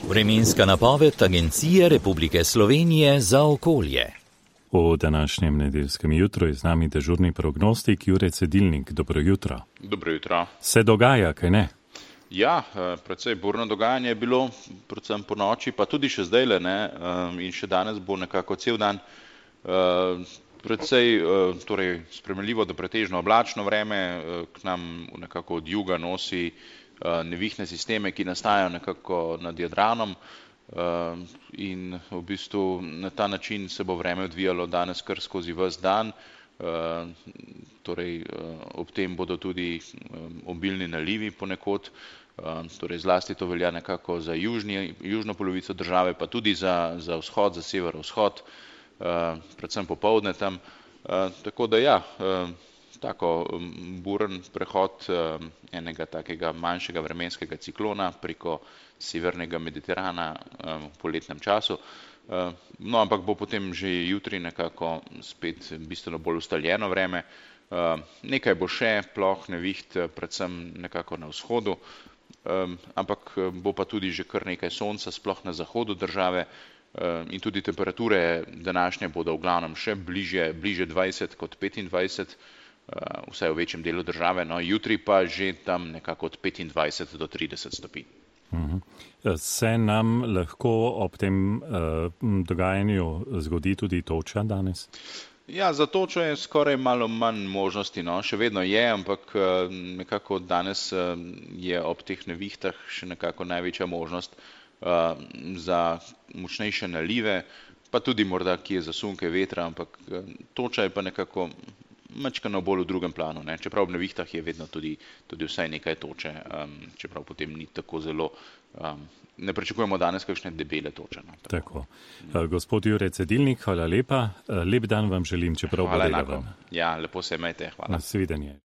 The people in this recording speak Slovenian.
Vremenska napoved Agencije Republike Slovenije za okolje. V današnjem nedeljskem jutru je z nami dežurni prognostik Jure Cedilnik. Dobro jutro. Dobro jutro. Se dogaja, kaj ne? Ja, precej burno dogajanje je bilo, predvsem po noči, pa tudi še zdajle, ne, in še danes bo nekako cel dan precej torej sprejemljivo do pretežno oblačno vreme, k nam nekako od juga nosi nevihne sisteme, ki nastajajo nekako nad Jadranom, in v bistvu na ta način se bo vreme odvijalo danes kar skozi ves dan. Torej ob tem bodo tudi obilni nalivi ponekod, torej zlasti to velja nekako za južno polovico države, pa tudi za vzhod, za severovzhod, predvsem popoldne tam. Tako da ja, tako buren prehod enega takega manjšega vremenskega ciklona preko severnega Mediterana v poletnem času. No, ampak bo potem že jutri nekako spet bistveno bolj ustaljeno vreme. Nekaj bo še ploh neviht, predvsem nekako na vzhodu, ampak bo pa tudi že kar nekaj sonca, sploh na zahodu države, in tudi temperature današnje bodo v glavnem še bliže 20 kot 25, vsaj v večjem delu države, no, jutri pa že tam nekako od 25 do 30 stopinj. Se nam lahko ob tem dogajanju zgodi tudi toča danes? Ja, za točo je skoraj malo manj možnosti, no, še vedno je, ampak nekako danes je ob teh nevihtah še nekako največja možnost za močnejše nalive, pa tudi morda kje zasunke vetra, ampak toča je pa nekako majčkeno bolj v drugem planu, ne. Čeprav ob nevihtah je vedno tudi vsaj nekaj toče, čeprav potem ni tako zelo, ne pričakujemo danes kakšne debele toče. No, tako. Gospod Jure Cedilnik, hvala lepa. Lep dan vam želim, čeprav bo delaven. Ja, lepo se imejte, hvala. Nasvidenje.